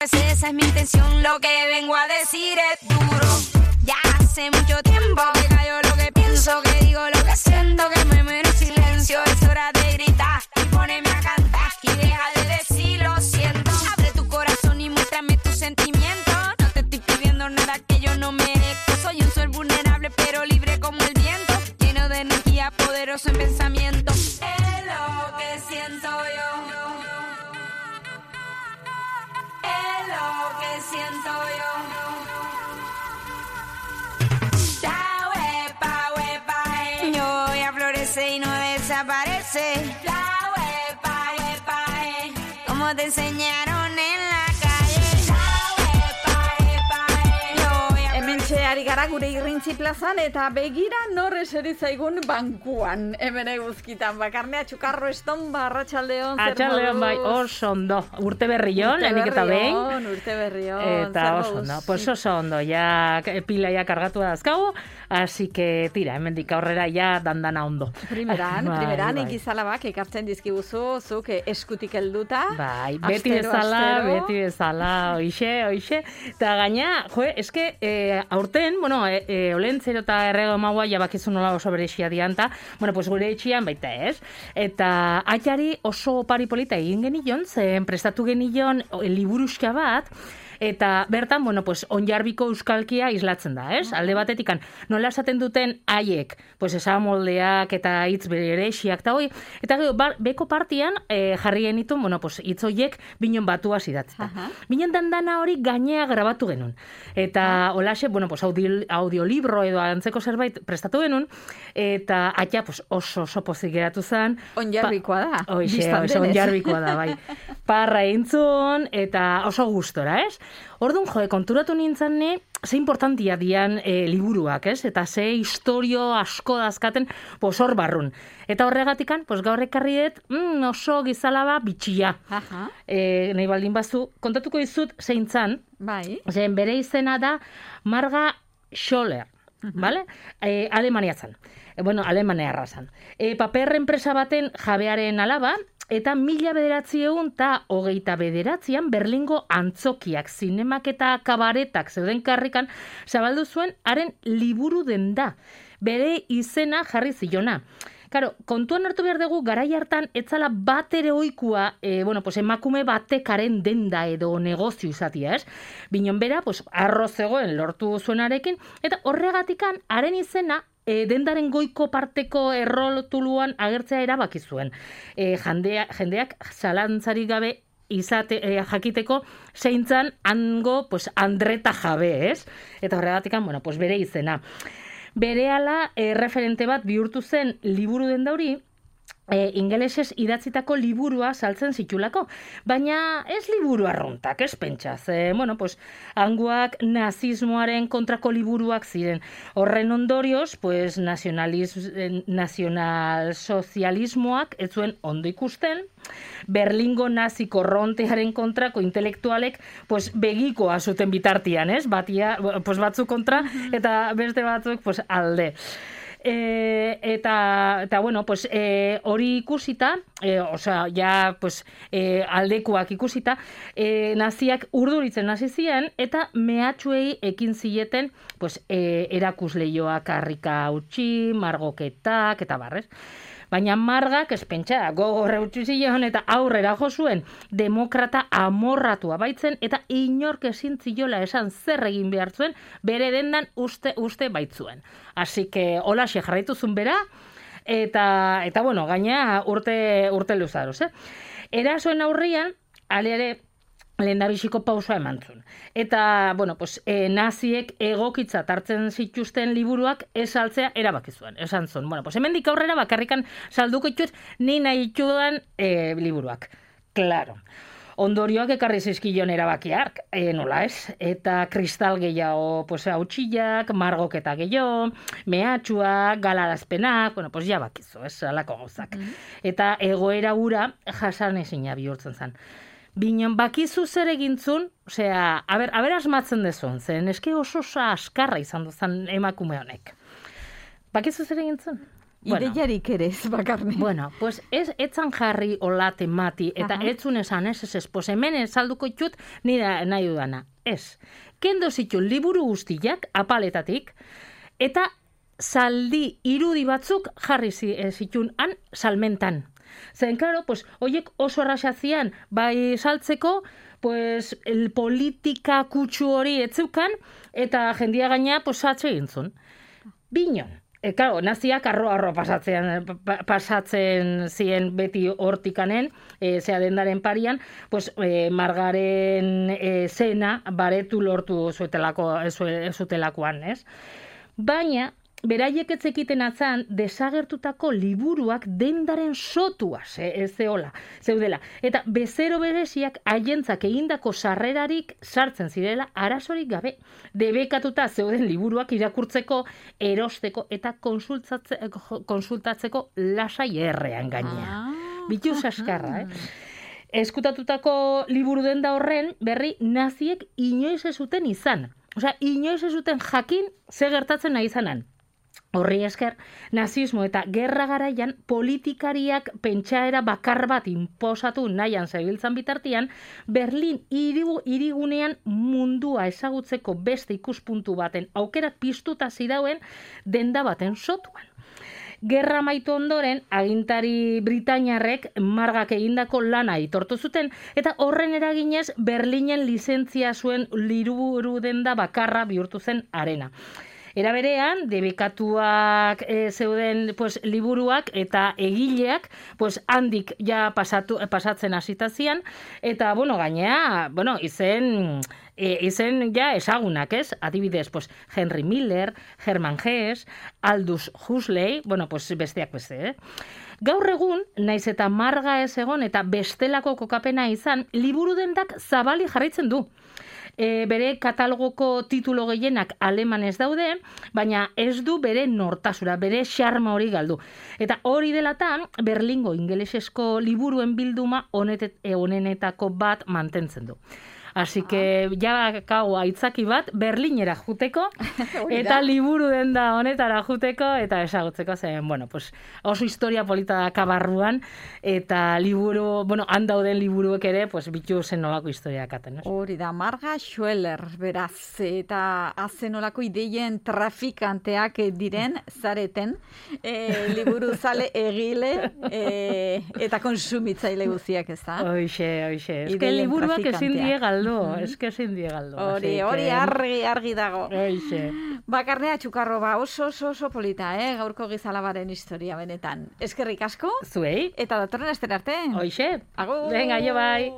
Esa es mi intención, lo que vengo a decir es duro. Ya hace mucho tiempo que callo lo que pienso, que digo lo que siento, que me muero en silencio. Es hora de gritar y ponerme a cantar y deja de decir lo siento. Abre tu corazón y muéstrame tus sentimientos. No te estoy pidiendo nada que yo no merezco. Soy un ser vulnerable pero libre como el viento, lleno de energía, poderoso en pensamiento. Es lo que siento yo. Es lo que siento yo. La huepa, yo voy a florecer y no desaparece. La huepa, como te enseñaron en la calle. La huepa, Hementxe ari gara gure irrintzi plazan eta begira nor eseri zaigun bankuan. Hemen eguzkitan bakarnea txukarro eston arratsaldeon zer Atxaldeon bai, oso ondo. Urte berrion, lehenik eta behin. Urte berrion. Eta oso ondo, pues oso ondo, ja pila ja kargatu dazkagu, así que tira, hemendik aurrera ja dandana ondo. Primeran ikizalabak ekartzen dizkiguzu, zuk eskutik helduta. Bai, beti bezala, oixe. Eta gaina, eske, aurten, bueno, olentzero eta errego maua jabakizu nola oso berexia dianta, bueno, pues gure etxian baita ez. Eta atxari oso opari polita egin genion, zen prestatu genion liburuxka bat, eta bertan, bueno, pues onjarbiko euskalkia islatzen da, ez? Alde batetikan, nola esaten duten haiek, pues esamoldeak eta hitz berexiak eta hoi, eta gero, beko partian jarri genitu, bueno, pues hitz hoiek binon batua idatzita. Binon dandana hori gainea grabatu genuen. Eta holaxe, bueno, pues audiolibro edo antzeko zerbait prestatu genuen, eta atia, pues oso pozik geratu zen. Onjarbikoa da. Oixe, onjarbikoa da, bai. Parra entzun, eta oso gustora, ez? Orduan, konturatu nintzen ze importantia dian liburuak, ez? Eta ze historio asko dazkaten, hor barrun. Eta horregatikan, gaur ekarri dut, oso gizalaba bitxia. Nahi baldin bazu, kontatuko dizut zein zan, zen bere izena da Marga Scholler, vale? Alemania zan. Bueno, Alemania zan. Paper enpresa baten jabearen alaba, eta 1929an Berlingo antzokiak, zinemak eta kabaretak zeuden karrikan zabaldu zuen haren liburu denda. Bere izena jarri zilona. Karo, kontuan hartu behar dugu, garai hartan, etzala bat ere oikua, emakume batekaren denda edo negozio izatia, ez? Binon bera, arroz zegoen lortu zuenarekin, eta horregatikan, haren izena, dendaren goiko parteko errotuluan agertzea erabaki zuen. Jendeak zalantzarik gabe jakiteko zeintzan hango Andreta jabe, ez? Eta horregatikan, bere izena. Berehala referente bat bihurtu zen liburu denda hori, ingelesez idatzitako liburua saltzen zitulako, baina ez liburu arruntak, ez pentsaz. Hangoak nazismoaren kontrako liburuak ziren. Horren ondorioz, nazionalsozialismoak ez zuen ondo ikusten, Berlingo nazi korrontearen kontrako intelektualek begikoa zuten bitartian, ez? Batzuk kontra eta beste batzuk alde. Hori ikusita, aldekuak ikusita, naziak urduritzen hasi ziren eta mehatxuei ekin zieten erakusleioak harrika utzi, margoketak eta barrez. Baina Margak espentsa gogorra utzi zion eta aurrera jo zuen demokrata amorratua baitzen eta inork ezin ziola esan zer egin behar zuen bere dendan uste baitzuen. Así que holaxe jarraitu zuen bera eta gaina urte luzaroz. Erasoen aurrian, aleare lehendabiziko pausoa eman zuen. Eta, naziek egokitzat hartzen zituzten liburuak esaltzea erabaki zuen. Esan zuen, hemendik aurrera bakarrikan salduko itxuz ni nahi itxudan liburuak. Claro. Ondorioak ekarri zizkion erabakiak, nola ez? Eta kristal gehiago hautsillak, margoketa gehiago, mehatxuak, galarazpenak, ja bakizu, ez, alako gauzak. Eta egoera ura jasan ezina bihurtzen zen. Binon, bakizu zer egintzun, aber asmatzen dezun, zen eske oso askarra izan duzan emakume honek. Bakizu zer egintzun? ideiarik ere ez bakarne. Bueno, pues etzan jarri hola temati, eta etzun esan ez, pues hemen salduko itxut nire nahi dudana. Ez, kendo zitun liburu guztiak apaletatik, eta zaldi irudi batzuk jarri zitun han salmentan. Zen, klaro, pues, oiek oso erraxazian, bai saltzeko, pues, el politika kutsu hori etzeukan, eta jendia gaina, pues, satxe egintzun. Binon. Claro, naziak arro pasatzen zien beti hortikanen, zea dendaren parian, pues, margaren zena baretu lortu zutelakoan, ez? Baina, beraiek etzekiten atzan, desagertutako liburuak dendaren sotua zeudela. Eta bezero bereziak haientzak egindako sarrerarik sartzen zirela arazorik gabe. Debekatuta zeuden liburuak irakurtzeko, erosteko eta konsultatzeko lasai errean gainea. Bitu saskarra, Eskutatutako liburu denda horren berri naziek inoiz ez zuten izan. Osea, inoiz ez zuten jakin ze gertatzen nahi izanan. Horri esker, nazismo eta gerra garaian politikariak pentsaera bakar bat inposatu nahian zebiltzan bitartian, Berlin hirigunean mundua ezagutzeko beste ikuspuntu baten aukerak piztuta zidauen denda baten sotuan. Gerra amaitu ondoren, agintari britainiarrek margak egindako lana aitortu zuten, eta horren eraginez Berlinen lizentzia zuen liburu denda bakarra bihurtu zen arena. Era berean, debekatuak zeuden liburuak eta egileak handik ja pasatzen hasitazian, eta gainea, izen ja ezagunak, ez? Adibidez, Henry Miller, Hermann Hesse, Aldous Huxley, besteak beste, Gaur egun, naiz eta marga ez egon eta bestelako kokapena izan, liburu dendak zabali jarraitzen du. Bere katalogoko titulo gehienak alemanez daude, baina ez du bere nortasura, bere xarma hori galdu. Eta hori delatan, Berlingo ingelesezko liburuen bilduma honenetako bat mantentzen du. Así que, kau aitzaki bat, Berlinera juteko, eta liburu denda honetara juteko, eta ezagutzeko zen, oso historia polita da kabarruan, eta liburu, handauden liburuek ere, bitu zen nolako historiak aten. Hori da, Marga Schweller, beraz, eta azen nolako ideien trafikanteak diren, zareten, liburu zale egile, eta konsumitzaile guziak, ez da? Oixe. Eske liburuak ezin die galdu. Ezin die galdu. Hori argi dago. Oixe. Bakarnea Txukarro, oso polita, gaurko gizalabaren historia benetan. Eskerrik asko. Zuei. Eta datorren astera arte. Hoixe. Agur. Venga, jo bai.